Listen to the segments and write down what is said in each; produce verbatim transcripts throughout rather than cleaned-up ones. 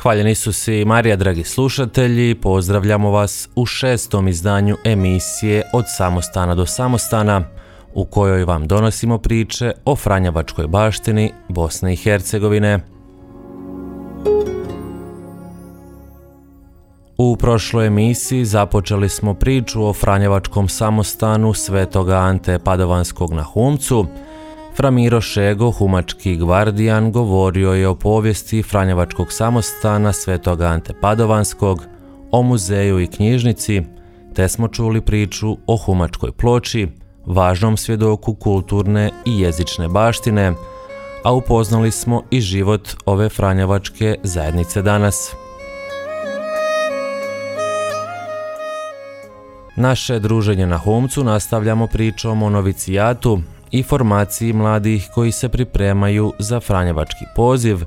Hvaljeni Isus i Marija, dragi slušatelji, pozdravljamo vas u šestom izdanju emisije Od samostana do samostana, u kojoj vam donosimo priče o franjevačkoj baštini Bosne i Hercegovine. U prošloj emisiji započeli smo priču o franjevačkom samostanu Svetoga Ante Padovanskog na Humcu. Fra Miro Šego, humački gvardijan, govorio je o povijesti franjevačkog samostana Svetoga Ante Padovanskog, o muzeju i knjižnici, te smo čuli priču o humačkoj ploči, važnom svjedoku kulturne i jezične baštine, a upoznali smo i život ove franjevačke zajednice danas. Naše druženje na Humcu nastavljamo pričom o novicijatu i formaciji mladih koji se pripremaju za franjevački poziv,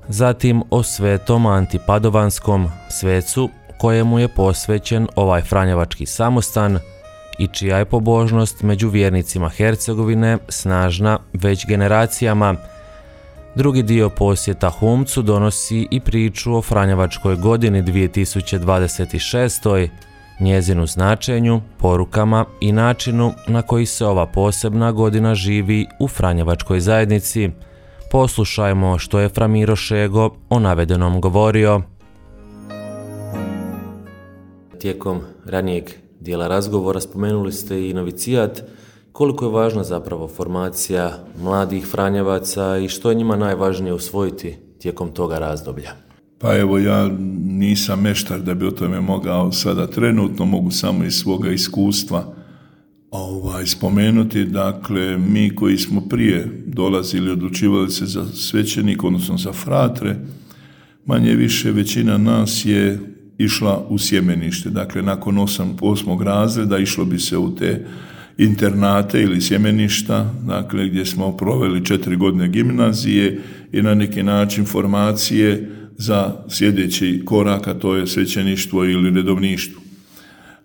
zatim o Svetom Anti Padovanskom, svecu kojemu je posvećen ovaj franjevački samostan i čija je pobožnost među vjernicima Hercegovine snažna već generacijama. Drugi dio posjeta Humcu donosi i priču o franjevačkoj godini dvije tisuće dvadeset šeste. njezinu značenju, porukama i načinu na koji se ova posebna godina živi u franjevačkoj zajednici. Poslušajmo što je fra Miro Šego o navedenom govorio. Tijekom ranijeg dijela razgovora spomenuli ste i novicijat. Koliko je važna zapravo formacija mladih franjevaca i što je njima najvažnije usvojiti tijekom toga razdoblja? Pa evo, ja nisam meštar da bi o tome mogao sada trenutno, mogu samo iz svoga iskustva ovaj, spomenuti. Dakle, mi koji smo prije dolazili, odlučivali se za svećenik, odnosno za fratre, manje više većina nas je išla u sjemenište. Dakle, nakon osam, osmog razreda išlo bi se u te internate ili sjemeništa, dakle, gdje smo proveli četiri godine gimnazije i na neki način formacije za sljedeći korak, a to je svećeništvo ili redovništvo.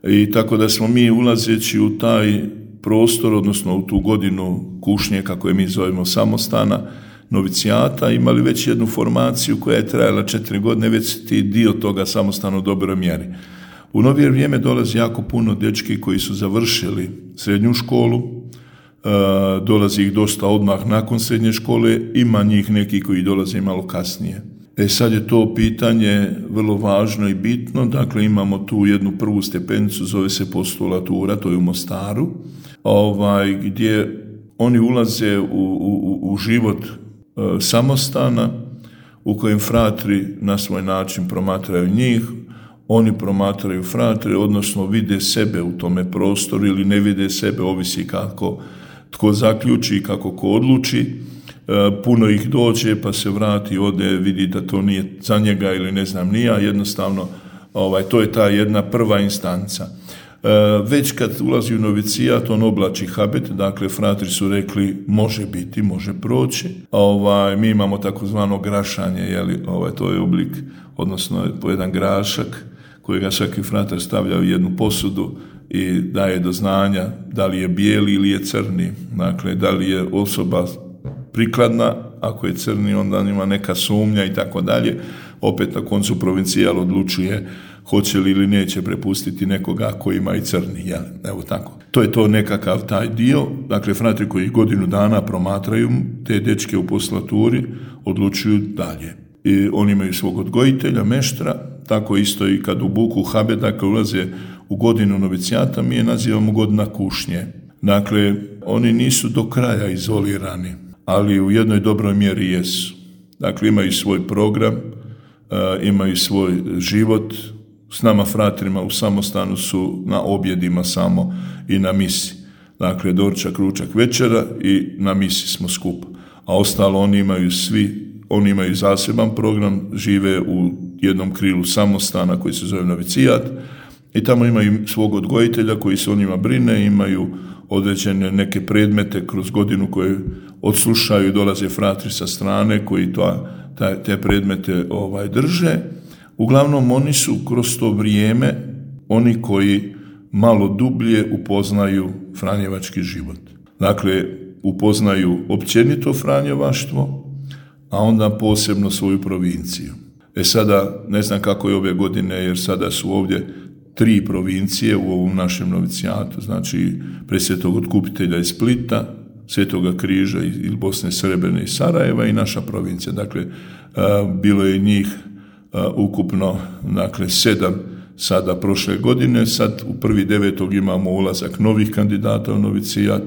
I tako da smo mi, ulazeći u taj prostor, odnosno u tu godinu kušnje, kako je mi zovemo, samostana, novicijata, imali već jednu formaciju koja je trajala četiri godine, već ti dio toga samostana u dobroj mjeri. U novije vrijeme dolazi jako puno dečki koji su završili srednju školu, e, dolazi ih dosta odmah nakon srednje škole, ima njih neki koji dolaze malo kasnije. E sad je to pitanje vrlo važno i bitno, dakle imamo tu jednu prvu stepenicu, zove se postulatura, to je u Mostaru, ovaj, gdje oni ulaze u, u, u život e, samostana, u kojem fratri na svoj način promatraju njih, oni promatraju fratre, odnosno vide sebe u tome prostoru ili ne vide sebe, ovisi kako tko zaključi i kako ko odluči. Puno ih dođe pa se vrati, ode, vidi da to nije za njega ili ne znam nija, jednostavno ovaj, to je ta jedna prva instanca. E, već kad ulazi u novicijat, on oblači habit, dakle fratri su rekli može biti, može proći. Ovaj, mi imamo takozvano grašanje, jeli, ovaj, to je oblik, odnosno po jedan grašak kojega svaki fratar stavlja u jednu posudu i daje do znanja da li je bijeli ili je crni, dakle da li je osoba prikladna, ako je crni onda ima neka sumnja i tako dalje. Opet na koncu provincijal odlučuje hoće li ili neće prepustiti nekoga koji ima i crni, jel? Evo tako. To je to nekakav taj dio, dakle fratri koji godinu dana promatraju te dečke u poslaturi, odlučuju dalje. I oni imaju svog odgojitelja, meštra, tako isto i kad u buku habe, dakle ulaze u godinu novicijata, mi je nazivamo godina kušnje. Dakle, oni nisu do kraja izolirani, ali u jednoj dobroj mjeri jesu. Dakle, imaju svoj program, imaju svoj život. S nama fratrima u samostanu su na objedima samo i na misi. Dakle, doručak, ručak, večera i na misi smo skupa. A ostalo oni imaju svi, oni imaju zaseban program, žive u jednom krilu samostana koji se zove novicijat i tamo imaju svog odgojitelja koji se o njima brine, imaju određene neke predmete kroz godinu koje odslušaju, dolaze fratri sa strane koji to, ta, te predmete ovaj, drže. Uglavnom oni su kroz to vrijeme oni koji malo dublje upoznaju franjevački život. Dakle, upoznaju općenito franjevaštvo, a onda posebno svoju provinciju. E sada, ne znam kako je ove godine, jer sada su ovdje tri provincije u ovom našem novicijatu, znači Presvetog Otkupitelja iz Splita, Svetoga Križa iz Bosne, Srebrene i Sarajeva i naša provincija. Dakle, bilo je njih ukupno, dakle, sedam sada prošle godine, sad u prvi devetog imamo ulazak novih kandidata u novicijat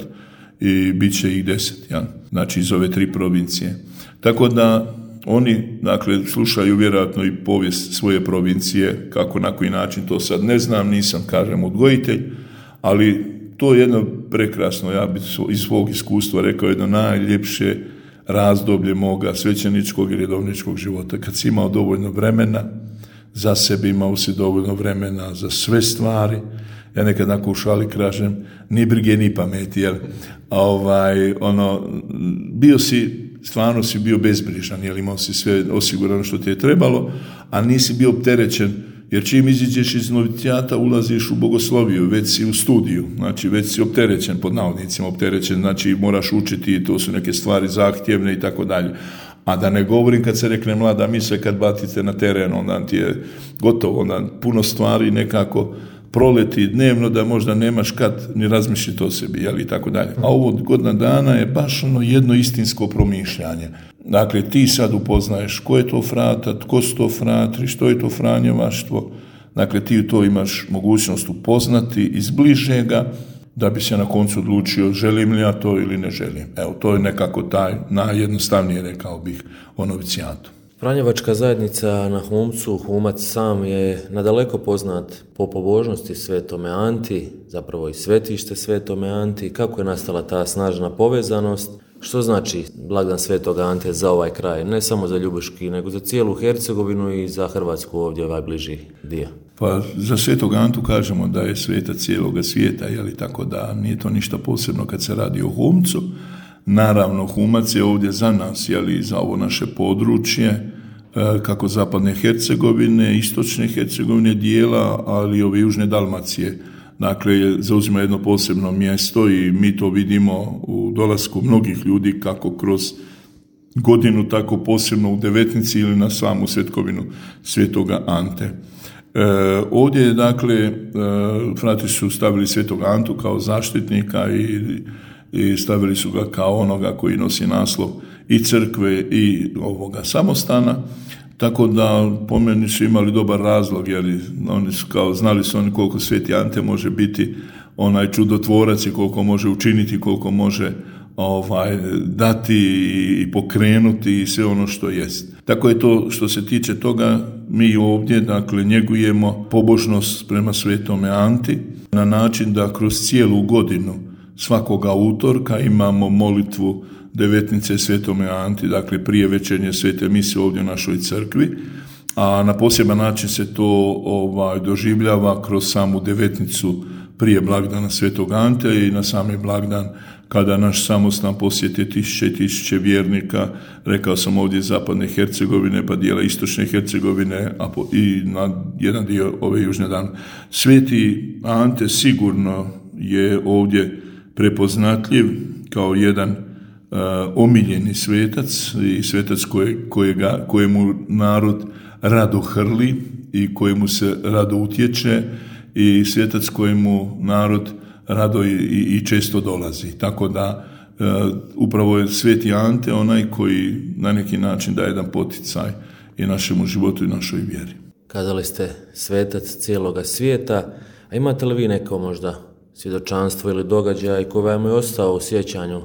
i bit će ih deset, ja? Znači iz ove tri provincije. Tako da oni, dakle, slušaju vjerojatno i povijest svoje provincije, kako, na koji način, to sad ne znam, nisam, kažem, odgojitelj, ali to je jedno prekrasno, ja bih iz svog iskustva rekao, jedno najljepše razdoblje moga svećeničkog i redovničkog života, kad si imao dovoljno vremena za sebe, imao si dovoljno vremena za sve stvari. Ja nekad nakon u šali kažem, ni brige ni pameti, jel? A ovaj, ono, bio si, stvarno si bio bezbrižan, jel, imao si sve osigurano što ti je trebalo, a nisi bio opterećen, jer čim iziđeš iz novicijata ulaziš u bogosloviju, već si u studiju, znači već si opterećen, pod navodnicima opterećen, znači moraš učiti, to su neke stvari zahtjevne i tako dalje. A da ne govorim kad se rekne mlada misla, kad batite na teren, onda ti je gotovo, onda puno stvari nekako proleti dnevno da možda nemaš kad ni razmišljati o sebi, jel, i tako dalje. A ovo godina dana je baš ono jedno istinsko promišljanje. Dakle, ti sad upoznaješ ko je to frata, tko su to fratri, što je to franjevaštvo. Dakle, ti to imaš mogućnost upoznati iz bližega, da bi se na koncu odlučio želim li ja to ili ne želim. Evo, to je nekako taj najjednostavnije, rekao bih, o novicijatu. Franjevačka zajednica na Humcu, Humac sam je nadaleko poznat po pobožnosti Svetome Anti, zapravo i svetište Svetome Anti. Kako je nastala ta snažna povezanost? Što znači blagdan Svetoga Ante za ovaj kraj? Ne samo za Ljubuški, nego za cijelu Hercegovinu i za Hrvatsku ovdje, ovaj bliži dio. Pa za Svetog Antu kažemo da je sveta cijeloga svijeta, jeli, tako da nije to ništa posebno kad se radi o Humcu. Naravno, Humac je ovdje za nas, jeli, za ovo naše područje, kako zapadne Hercegovine, istočne Hercegovine dijela, ali i ove južne Dalmacije. Dakle, zauzima jedno posebno mjesto i mi to vidimo u dolasku mnogih ljudi, kako kroz godinu, tako posebno u Devetnici ili na samu svetkovinu Svetoga Ante. E, ovdje je, dakle, e, frati su stavili Svetog Antu kao zaštitnika i, i stavili su ga kao onoga koji nosi naslov i crkve i ovoga samostana, tako da po meni su imali dobar razlog, jer oni su kao, znali su oni koliko Sveti Ante može biti onaj čudotvorac i koliko može učiniti, koliko može ovaj, dati i pokrenuti i sve ono što jest. Tako je to što se tiče toga, mi ovdje, dakle, njegujemo pobožnost prema Svetome Anti na način da kroz cijelu godinu svakoga utorka imamo molitvu Devetnice Svetome Anti, dakle prije večernje svete mise ovdje u našoj crkvi, a na poseban način se to ovaj, doživljava kroz samu Devetnicu prije blagdana Svetog Ante i na sami blagdan kada naš samostan posjeti tisuće i tisuće vjernika, rekao sam ovdje iz zapadne Hercegovine, pa dijela istočne Hercegovine, a po, i na jedan dio ove južne dan. Sveti Ante sigurno je ovdje prepoznatljiv kao jedan Uh, omiljeni svetac i svetac koje, kojega, kojemu narod rado hrli i kojemu se rado utječe i svetac kojemu narod rado i, i, i često dolazi. Tako da uh, upravo je Sveti Ante onaj koji na neki način daje jedan poticaj i našemu životu i našoj vjeri. Kazali ste svetac cijeloga svijeta, a imate li vi neko možda svjedočanstvo ili događaj koji vam je ostao u sjećanju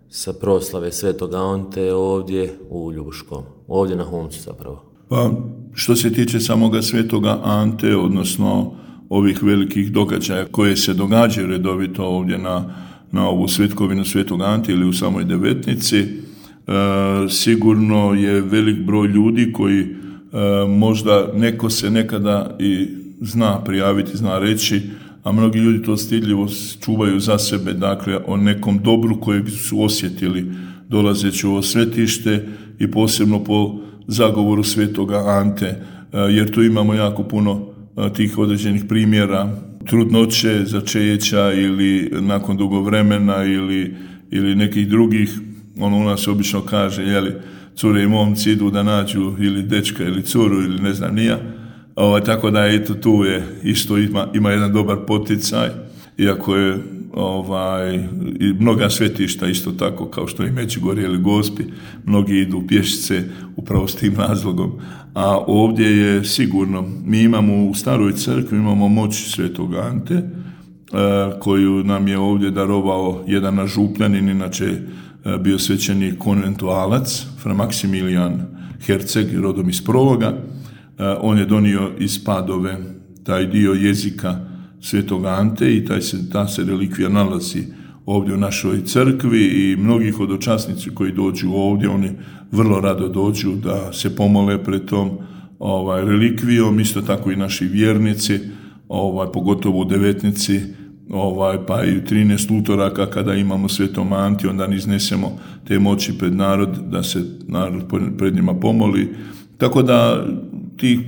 sa proslave Svetoga Ante ovdje u Ljubuškom, ovdje na Humcu zapravo? Pa, što se tiče samoga Svetoga Ante, odnosno ovih velikih događaja koje se događaju redovito ovdje na, na ovu svetkovinu Svetog Ante ili u samoj Devetnici, e, sigurno je velik broj ljudi koji e, možda neko se nekada i zna prijaviti, zna reći, a mnogi ljudi to stidljivo čuvaju za sebe, dakle, o nekom dobru kojeg su osjetili dolazeći u ovo svetište i posebno po zagovoru Svetoga Ante, jer tu imamo jako puno tih određenih primjera trudnoće, začeća ili nakon dugo vremena ili, ili nekih drugih ono u nas obično kaže, jeli, cure i momci idu da nađu ili dečka ili curu ili ne znam nija. Ovaj, tako da eto tu je isto ima, ima jedan dobar poticaj, iako je ovaj, i mnoga svetišta isto tako kao što i Međugorje ili Gospi, mnogi idu pješice upravo s tim razlogom. A ovdje je sigurno, mi imamo u staroj crkvi, imamo moć Svetog Ante, koju nam je ovdje darovao jedan naš župljanin, inače bio svećenik konventualac, fra Maksimilijan Herceg, rodom iz Prologa. On je donio iz Padove taj dio jezika Svetog Ante i taj se, ta se relikvija nalazi ovdje u našoj crkvi i mnogi hodočasnici koji dođu ovdje, oni vrlo rado dođu da se pomole pred tom ovaj, relikvijom, isto tako i naši vjernici, ovaj, pogotovo u devetnici, ovaj, pa i u trinaest utoraka kada imamo Svetom Anti, onda iznesemo te moći pred narod, da se narod pred njima pomoli. Tako da tih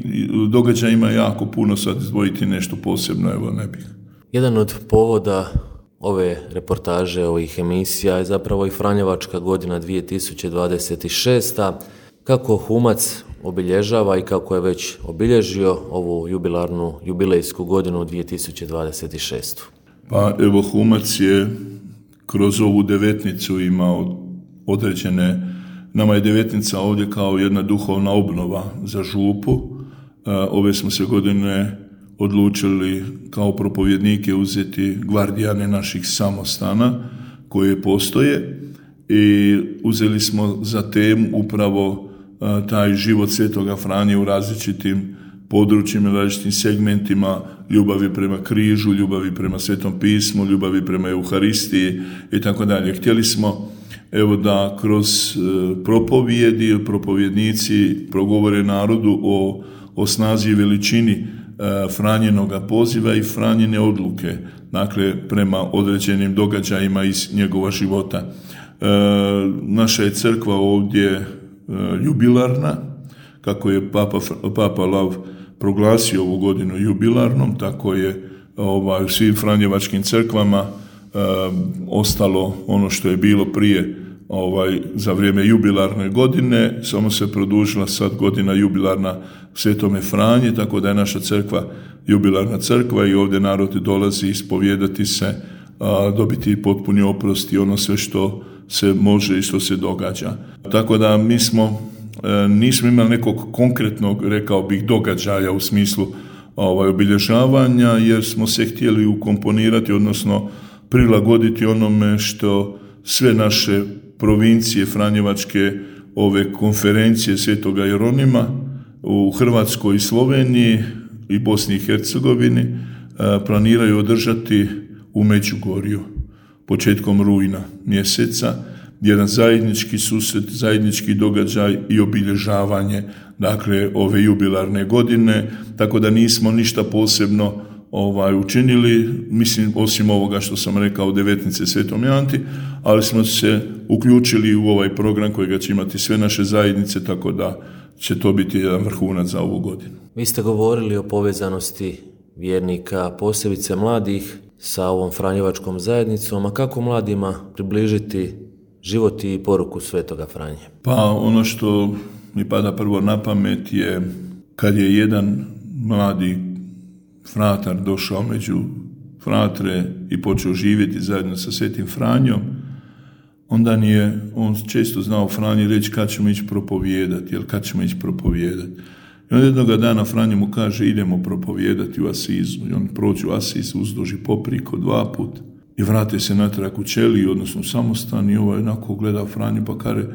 događaja ima jako puno, sad izdvojiti nešto posebno, evo ne bih. Jedan od povoda ove reportaže, ovih emisija je zapravo i Franjevačka godina dvije tisuće dvadeset šesta. Kako Humac obilježava i kako je već obilježio ovu jubilarnu, jubilejsku godinu dvije tisuće dvadeset šestu. Pa evo Humac je kroz ovu devetnicu imao određene, nama je devetnica ovdje kao jedna duhovna obnova za župu. Ove smo se godine odlučili kao propovjednike uzeti gvardijane naših samostana koje postoje i uzeli smo za temu upravo taj život Svetoga Franje u različitim područjima, različitim segmentima ljubavi prema križu, ljubavi prema Svetom pismu, ljubavi prema Euharistiji i tako dalje. Htjeli smo evo da kroz propovjedi, propovjednici progovore narodu o, o snazi i veličini Franjinoga poziva i Franjine odluke, dakle prema određenim događajima iz njegova života. E, naša je crkva ovdje e, jubilarna, kako je Papa, Papa Lav proglasio ovu godinu jubilarnom, tako je ovaj, u svim franjevačkim crkvama e, ostalo ono što je bilo prije ovaj, za vrijeme jubilarne godine, samo se produžila sad godina jubilarna Svetome Franji, tako da je naša crkva jubilarna crkva i ovdje narod dolazi ispovijedati se, a, dobiti potpuni oprost i ono sve što se može i što se događa. Tako da mi smo, e, nismo imali nekog konkretnog, rekao bih, događaja u smislu ovaj, obilježavanja, jer smo se htjeli ukomponirati, odnosno prilagoditi onome što sve naše provincije franjevačke, ove konferencije Svetoga Jeronima u Hrvatskoj i Sloveniji i Bosni i Hercegovini planiraju održati u Međugorju početkom rujna mjeseca, jedan zajednički susret, zajednički događaj i obilježavanje, dakle, ove jubilarne godine, tako da nismo ništa posebno ovaj, učinili, mislim, osim ovoga što sam rekao, devetnice Svetom Anti, ali smo se uključili u ovaj program kojega će imati sve naše zajednice, tako da će to biti jedan vrhunac za ovu godinu. Vi ste govorili o povezanosti vjernika, posebice mladih, sa ovom franjevačkom zajednicom, a kako mladima približiti život i poruku Svetoga Franje? Pa ono što mi pada prvo na pamet je kad je jedan mladi fratar došao među fratre i počeo živjeti zajedno sa Svetim Franjom, onda nije on često znao Franji reći kad ćemo ići propovijedati, jel kad ćemo ići propovijedati. I onda jednoga dana Franji mu kaže idemo propovijedati u Asizu. I on prođu Asiz, uzduži popriko dva put i vrate se natrag u ćeliju, odnosno u samostan, i ovaj onako gleda Franju pa kaže,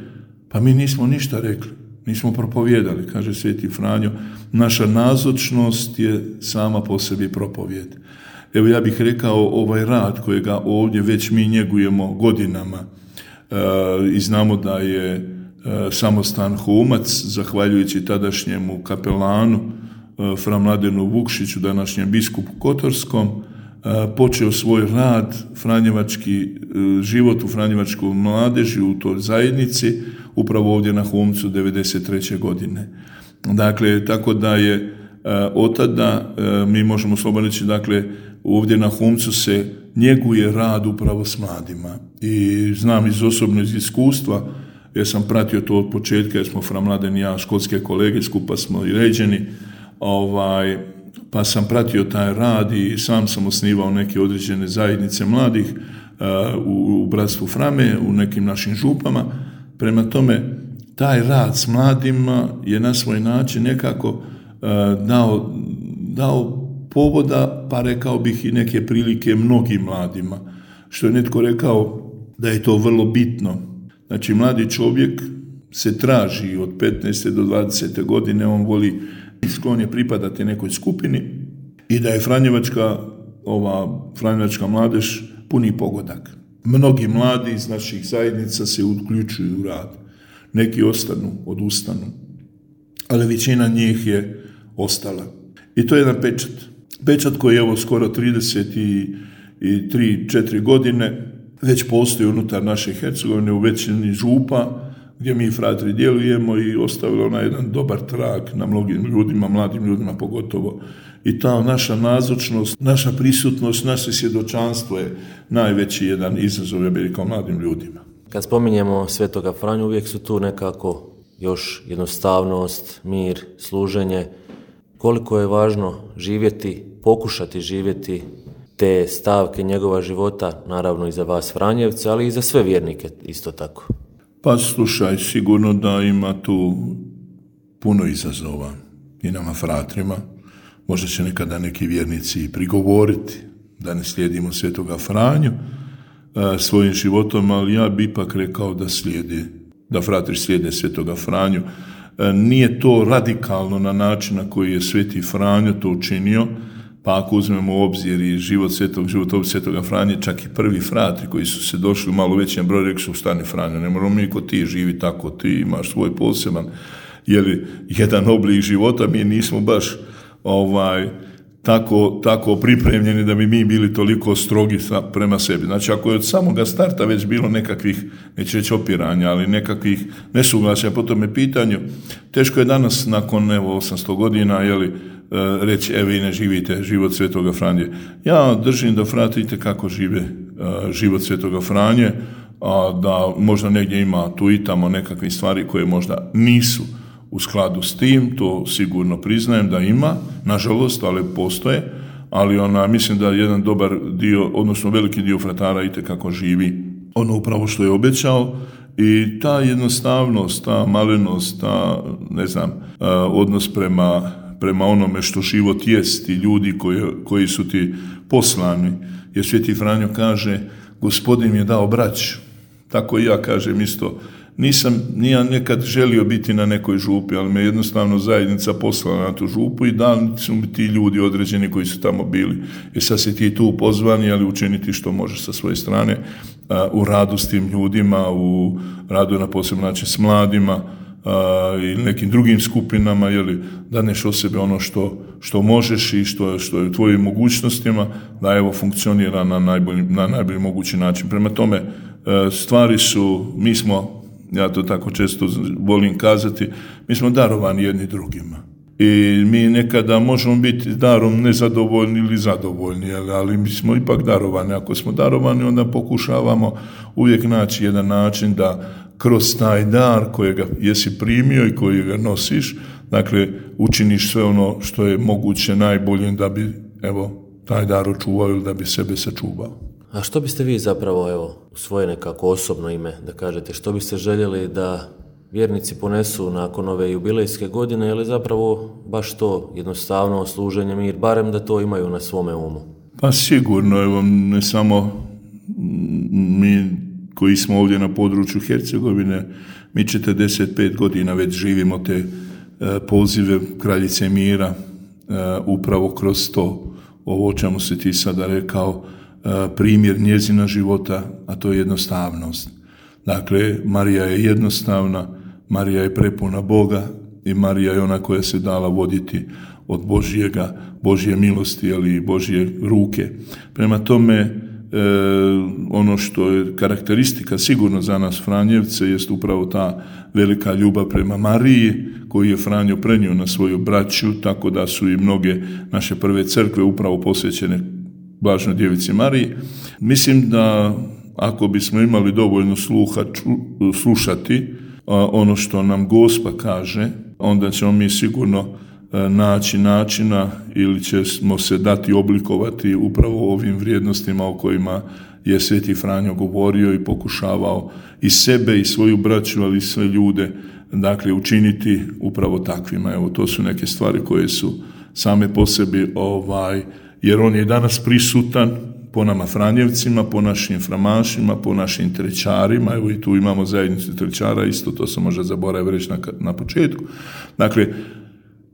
pa mi nismo ništa rekli, nismo propovijedali, kaže Sveti Franjo, naša nazočnost je sama po sebi propovijed. Evo ja bih rekao, ovaj rad kojega ovdje već mi njegujemo godinama e, i znamo da je e, samostan Humac, zahvaljujući tadašnjemu kapelanu e, fra Mladenu Vukšiću, današnjem biskupu Kotorskom, e, počeo svoj rad, franjevački e, život u franjevačkoj mladeži u toj zajednici, upravo ovdje na Humcu devedeset treće godine. Dakle, tako da je e, od tada, e, mi možemo slobodno reći, dakle, ovdje na Humcu se njeguje rad upravo s mladima. I znam iz osobnog iskustva, jer sam pratio to od početka, jer smo Fra Mladen i ja, školske kolege, skupa smo i ređeni, ovaj, pa sam pratio taj rad i sam sam osnivao neke određene zajednice mladih uh, u, u Bratstvu Frame, u nekim našim župama. Prema tome, taj rad s mladima je na svoj način nekako uh, dao, dao povoda, pa rekao bih i neke prilike mnogim mladima. Što je netko rekao da je to vrlo bitno. Znači, mladi čovjek se traži od petnaeste do dvadesete godine, on voli sklon je pripadati nekoj skupini i da je Franjevačka, ova Franjevačka mladež puni pogodak. Mnogi mladi iz naših zajednica se uključuju u rad. Neki ostanu, odustanu, ali većina njih je ostala. I to je jedan pečat. Pečat koji je evo skoro trideset tri četiri godine već postoji unutar naše Hercegovine u većini župa gdje mi fratri djelujemo i ostavilo na jedan dobar trag na mnogim ljudima, mladim ljudima pogotovo. I ta naša nazočnost, naša prisutnost, naše svjedočanstvo je najveći jedan izazov, ja bih rekao, mladim ljudima. Kad spominjemo Svetoga Franju, uvijek su tu nekako još jednostavnost, mir, služenje. Koliko je važno živjeti, pokušati živjeti te stavke njegova života, naravno i za vas Franjevce, ali i za sve vjernike isto tako. Pa slušaj, sigurno da ima tu puno izazova i nama fratrima. Možda će nekada neki vjernici prigovoriti da ne slijedimo Svetoga Franju e, svojim životom, ali ja bi ipak rekao da slijedi, da fratri slijede Svetoga Franju. E, nije to radikalno na način na koji je Sveti Franjo to učinio, pa ako uzmemo u obzir i život svetog, životopis Svetoga Franje, čak i prvi fratri koji su se došli u malo većem broju, rekli su stani Franjo, ne moramo mi ko ti živi tako, ti imaš svoj poseban, jeli, jedan oblik života, mi nismo baš ovaj, tako, tako pripremljeni da bi mi bili toliko strogi prema sebi. Znači, ako je od samoga starta već bilo nekakvih, neće reći opiranja, ali nekakvih nesuglasja po tome pitanju, teško je danas, nakon evo osamsto godina, jeli, reći, evo i ne živite život Svetoga Franje. Ja držim da fratite kako žive uh, život Svetoga Franje, a da možda negdje ima tu i tamo nekakve stvari koje možda nisu u skladu s tim, to sigurno priznajem da ima, nažalost, ali postoje, ali ona, mislim da jedan dobar dio, odnosno veliki dio fratara itekako živi ono upravo što je obećao i ta jednostavnost, ta malenost, ta, ne znam, uh, odnos prema prema onome što život jest i ljudi koji, koji su ti poslani. Jer Sveti Franjo kaže, Gospodin mi je dao braću. Tako i ja kažem isto. Nisam, nije nekad želio biti na nekoj župi, ali me jednostavno zajednica poslala na tu župu i dali su mi ti ljudi određeni koji su tamo bili. I sad si ti tu pozvani, ali učiniti što možeš sa svoje strane uh, u radu s tim ljudima, u radu na posebno način s mladima, ili uh, nekim drugim skupinama, jeli, daneš o sebe ono što, što možeš i što, što je u tvojim mogućnostima, da evo funkcionira na najbolji, na najbolji mogući način. Prema tome, uh, stvari su, mi smo, ja to tako često volim kazati, mi smo darovani jedni drugima. I mi nekada možemo biti darom nezadovoljni ili zadovoljni, ali mi smo ipak darovani. Ako smo darovani, onda pokušavamo uvijek naći jedan način da kroz taj dar kojega jesi primio i kojega nosiš, dakle, učiniš sve ono što je moguće najbolje da bi, evo, taj dar očuvao ili da bi sebe sačuvao. A što biste vi zapravo, evo, u svoje nekako osobno ime, da kažete, što biste željeli da vjernici ponesu nakon ove jubilejske godine, ili zapravo baš to jednostavno služenje, mir, barem da to imaju na svome umu? Pa sigurno, evo, ne samo mi koji smo ovdje na području Hercegovine, mi četrdeset pet godina već živimo te e, pozive Kraljice mira, e, upravo kroz to, ovo o čemu si ti sada rekao, e, primjer njezina života, a to je jednostavnost. Dakle, Marija je jednostavna, Marija je prepuna Boga i Marija je ona koja se dala voditi od Božjega, Božje milosti, ali i Božje ruke. Prema tome, e, ono što je karakteristika sigurno za nas Franjevce jest upravo ta velika ljubav prema Mariji koju je Franjo prenio na svoju braću, tako da su i mnoge naše prve crkve upravo posvećene Blaženoj djevici Mariji. Mislim da ako bismo imali dovoljno sluha slušati ono što nam Gospa kaže, onda ćemo mi sigurno naći načina ili ćemo se dati oblikovati upravo ovim vrijednostima o kojima je Sveti Franjo govorio i pokušavao i sebe i svoju braću, ali i sve ljude, dakle, učiniti upravo takvima. Evo, to su neke stvari koje su same po sebi, ovaj, jer on je danas prisutan po nama Franjevcima, po našim framašima, po našim trećarima. Evo i tu imamo zajednicu trećara, isto to se može zaboraviti reći na, na početku. Dakle,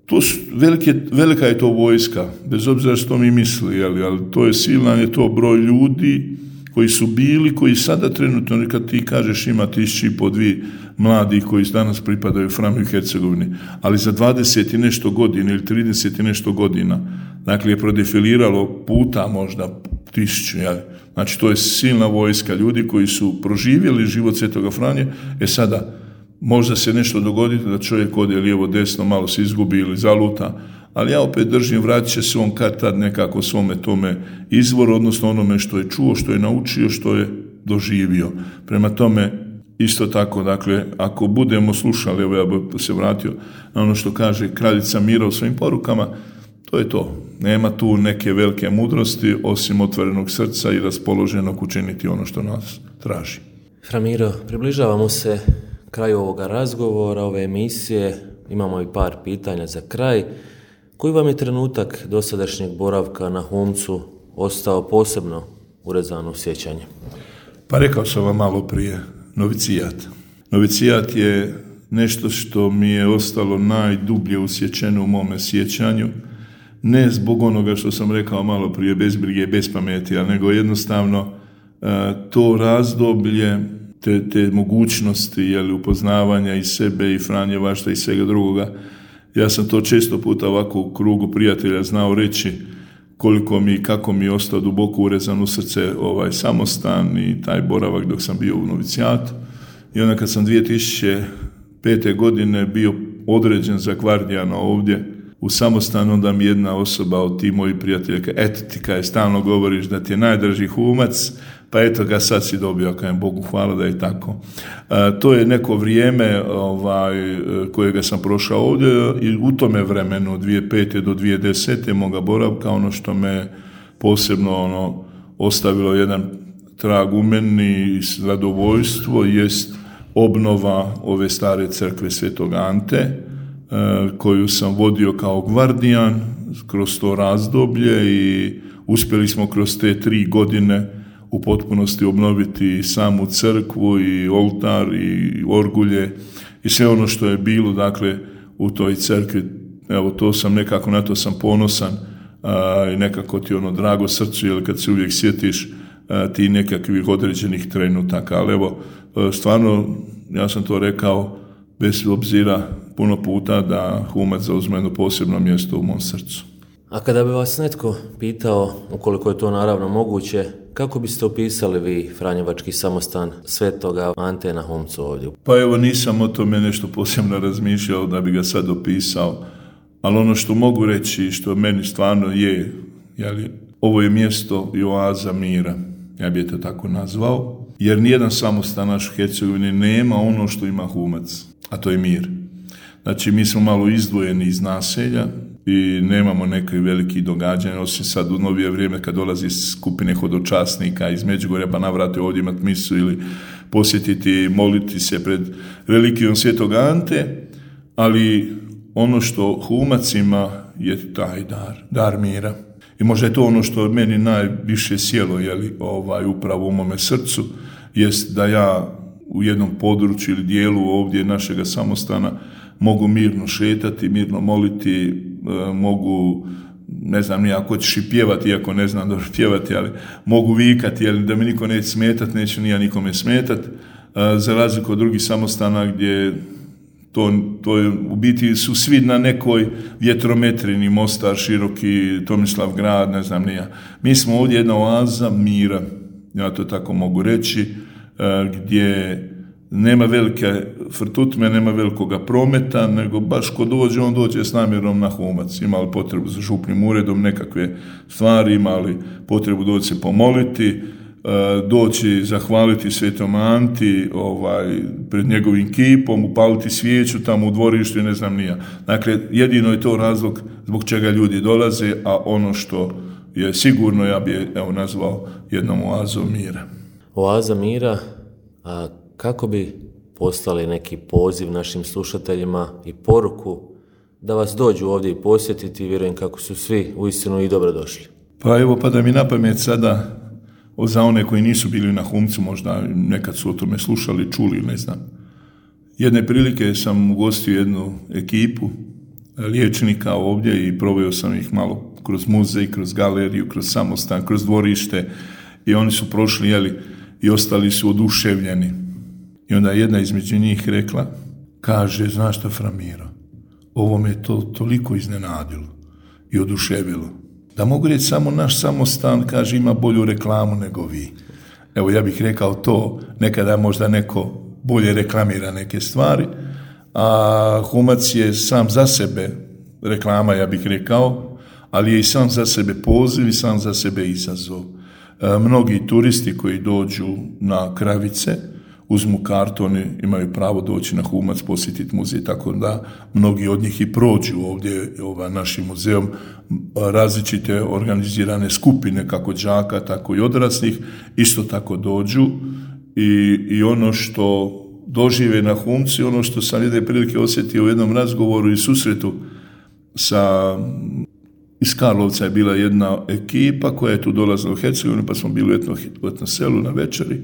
to su velike, velika je to vojska, bez obzira što mi misli, jeli, ali to je silan, je to broj ljudi koji su bili, koji sada trenutno, kad ti kažeš ima tisući i po dvije mladi koji danas pripadaju Franju i Hercegovini, ali za dvadeset i nešto godina ili trideset i nešto godina, dakle je prodefiliralo puta možda tisuću, jel? Znači to je silna vojska ljudi koji su proživjeli život Svetoga Franje. E sada, možda se nešto dogoditi da čovjek ode lijevo desno, malo se izgubi ili zaluta, ali ja opet držim, vratit će se on kad tad nekako svome tome izvoru, odnosno onome što je čuo, što je naučio, što je doživio. Prema tome, isto tako, dakle, ako budemo slušali, evo ja bih se vratio na ono što kaže kraljica Mira u svojim porukama, to je to. Nema tu neke velike mudrosti, osim otvorenog srca i raspoloženog učiniti ono što nas traži. Fra Miro, približavamo se kraju ovoga razgovora, ove emisije. Imamo i par pitanja za kraj. Koji vam je trenutak dosadašnjeg boravka na Humcu ostao posebno urezan u sjećanje? Pa rekao sam vam malo prije, novicijat. Novicijat je nešto što mi je ostalo najdublje usjećeno u mome sjećanju, ne zbog onoga što sam rekao malo prije, bez brige, bez pameti, ali nego jednostavno to razdoblje, te, te mogućnosti, jeli, upoznavanja i sebe i Franjevaštva i svega drugoga. Ja sam to često puta ovako u krugu prijatelja znao reći koliko mi, kako mi je ostao duboko urezan u srce ovaj samostan i taj boravak dok sam bio u novicijatu. I onda kad sam dvije tisuće pete. godine bio određen za gvardijana ovdje u samostanu, onda mi jedna osoba od ti moji prijatelja kaže, eto ti kaj stalno govoriš da ti je najdraži Humac, pa eto ga sad si dobio, kajem Bogu hvala da je tako. A, to je neko vrijeme ovaj, kojega sam prošao ovdje i u tome vremenu od dvije tisuće pete. do dvije tisuće desete. moga boravka, ono što me posebno ono, ostavilo jedan trag u meni i zadovoljstvo jest obnova ove stare crkve Svetog Ante, koju sam vodio kao gvardijan kroz to razdoblje i uspjeli smo kroz te tri godine u potpunosti obnoviti samu crkvu i oltar i orgulje i sve ono što je bilo, dakle, u toj crkvi. Evo, to sam nekako, na to sam ponosan a, i nekako ti ono drago srcu, jer kad se uvijek sjetiš a, ti nekakvih određenih trenutaka, ali evo, a, stvarno, ja sam to rekao bez obzira puno puta da Humac zauzme jedno posebno mjesto u mom srcu. A kada bi vas netko pitao, ukoliko je to naravno moguće, kako biste opisali vi Franjevački samostan Svetoga Ante na Humcu ovdje? Pa evo, nisam o tome nešto posebno razmišljao da bi ga sad opisao, ali ono što mogu reći, što meni stvarno je, jeli, ovo je mjesto i oaza mira, ja bih to tako nazvao, jer nijedan samostan naš u Hercegovini nema ono što ima Humac, a to je mir. Znači, mi smo malo izdvojeni iz naselja i nemamo neke veliki događanja, osim sad u novije vrijeme kad dolazi skupine hodočasnika iz Međugorja pa navrate ovdje imati misu ili posjetiti, moliti se pred relikvijom Svetog Ante, ali ono što Humac ima je taj dar, dar mira. I možda je to ono što meni najviše sjelo, jeli, ovaj, upravo u mome srcu, jest da ja u jednom području ili dijelu ovdje našega samostana mogu mirno šetati, mirno moliti, e, mogu, ne znam ni ako ćeš i pjevati, iako ne znam dobro pjevati, ali mogu vikati, jer da mi niko neće smetati, neće ni ja nikome smetati, e, za razliku od drugih samostana gdje to, to je, u biti su svi na nekoj vjetrometrini, Mostar, Široki, Tomislav grad, ne znam ni ja. Mi smo ovdje jedna oaza mira, ja to tako mogu reći, e, gdje nema velike frtutme, nema velikoga prometa, nego baš ko dođe, on dođe s namjerom na Humac. Ima li potrebu za župnim uredom, nekakve stvari, ima li potrebu doći se pomoliti, doći zahvaliti Svetom Anti ovaj, pred njegovim kipom, upaliti svijeću tamo u dvorištu i ne znam nija. Dakle, jedino je to razlog zbog čega ljudi dolaze, a ono što je sigurno, ja bi evo nazvao jednom oazom mira. Oaza mira, a kako bi poslali neki poziv našim slušateljima i poruku da vas dođu ovdje i posjetiti, vjerujem kako su svi uistinu i dobro došli. Pa evo, pada mi na pamet sada, za one koji nisu bili na Humcu, možda nekad su o tome slušali, čuli, ne znam. Jedne prilike sam ugostio jednu ekipu liječnika ovdje i proveo sam ih malo kroz muzej, kroz galeriju, kroz samostan, kroz dvorište i oni su prošli, jeli, i ostali su oduševljeni. I onda jedna između njih rekla, kaže, znaš šta, Framiro, ovo me to toliko iznenadilo i oduševilo, da mogu reći samo naš samostan, kaže, ima bolju reklamu nego vi. Evo, ja bih rekao to, nekada možda neko bolje reklamira neke stvari, a Humac je sam za sebe reklama, ja bih rekao, ali je i sam za sebe poziv i sam za sebe izazov. E, mnogi turisti koji dođu na Kravice, uzmu kartu, oni imaju pravo doći na Humac, posjetiti muzej, tako da mnogi od njih i prođu ovdje ovaj, našim muzeom, različite organizirane skupine, kako đaka, tako i odraslih, isto tako dođu i, i ono što dožive na Humci, ono što sam jedne prilike osjetio u jednom razgovoru i susretu sa, iz Karlovca je bila jedna ekipa koja je tu dolazila u Hercegovinu, pa smo bili u etno, u etno selu na večeri.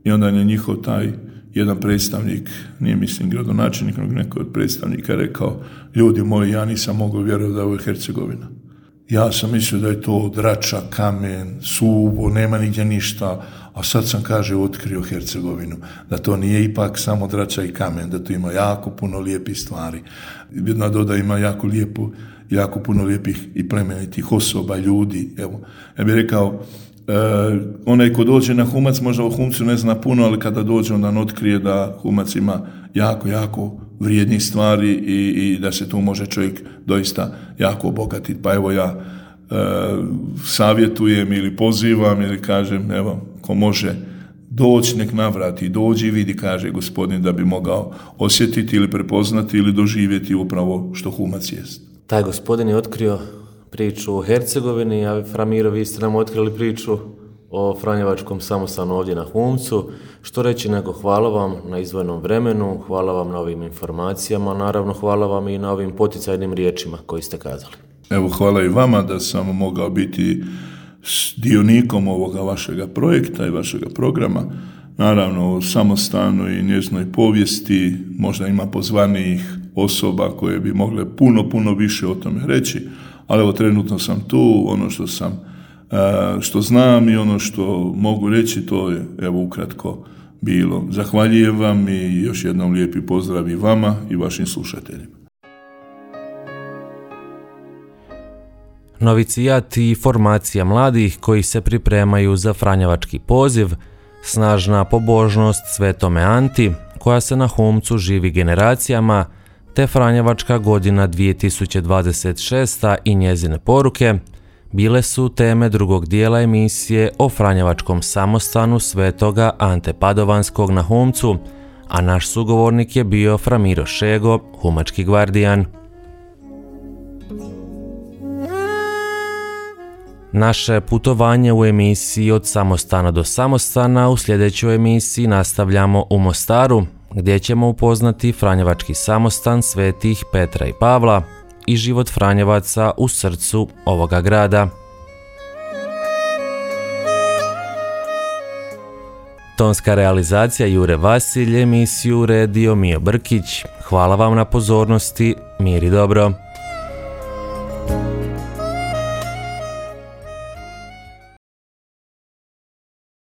I onda je njihov taj jedan predstavnik, nije mislim gradonačelnik, nego neko od predstavnika rekao, ljudi moji, ja nisam mogao vjerovati da je ovo Hercegovina. Ja sam mislio da je to drača, kamen, suvo, nema nigdje ništa, a sad sam, kaže, otkrio Hercegovinu, da to nije ipak samo drača i kamen, da to ima jako puno lijepih stvari. Jedna doda ima jako lijepu, jako puno lijepih i plemenitih osoba, ljudi. Evo, ja bih rekao, Uh, onaj ko dođe na Humac možda o Humcu ne zna puno, ali kada dođe onda on otkrije da Humac ima jako, jako vrijednih stvari i, i da se tu može čovjek doista jako obogatiti. Pa evo ja uh, savjetujem ili pozivam ili kažem, evo, ko može doći nek navrati, dođi i vidi, kaže gospodin, da bi mogao osjetiti ili prepoznati ili doživjeti upravo što Humac jest. Taj gospodin je otkrio priču o Hercegovini, a Framiro, vi ste nam otkrili priču o Franjevačkom samostanu ovdje na Humcu. Što reći nego hvala vam na izdvojenom vremenu, hvala vam na ovim informacijama, naravno hvala vam i na ovim poticajnim riječima koji ste kazali. Evo, hvala i vama da sam mogao biti dionikom ovoga vašega projekta i vašega programa. Naravno, o samostanu i njezinoj povijesti možda ima pozvanijih osoba koje bi mogle puno, puno više o tome reći, ali evo, trenutno sam tu, ono što sam, što znam i ono što mogu reći, to je, evo, ukratko bilo. Zahvaljujem vam i još jednom lijepi pozdrav i vama i vašim slušateljima. Novicijat i formacija mladih koji se pripremaju za Franjevački poziv, snažna pobožnost Svetome Anti, koja se na Humcu živi generacijama, te Franjevačka godina dvije tisuće dvadeset šesta i njezine poruke bile su teme drugog dijela emisije o Franjevačkom samostanu Svetoga Ante Padovanskog na Humcu, a naš sugovornik je bio Framiro Šego, humački gvardijan. Naše putovanje u emisiji Od samostana do samostana u sljedećoj emisiji nastavljamo u Mostaru, gdje ćemo upoznati Franjevački samostan svetih Petra i Pavla i život Franjevaca u srcu ovoga grada. Tonska realizacija Jure Vasilj, emisiju uredio Mio Brkić. Hvala vam na pozornosti, mir i dobro.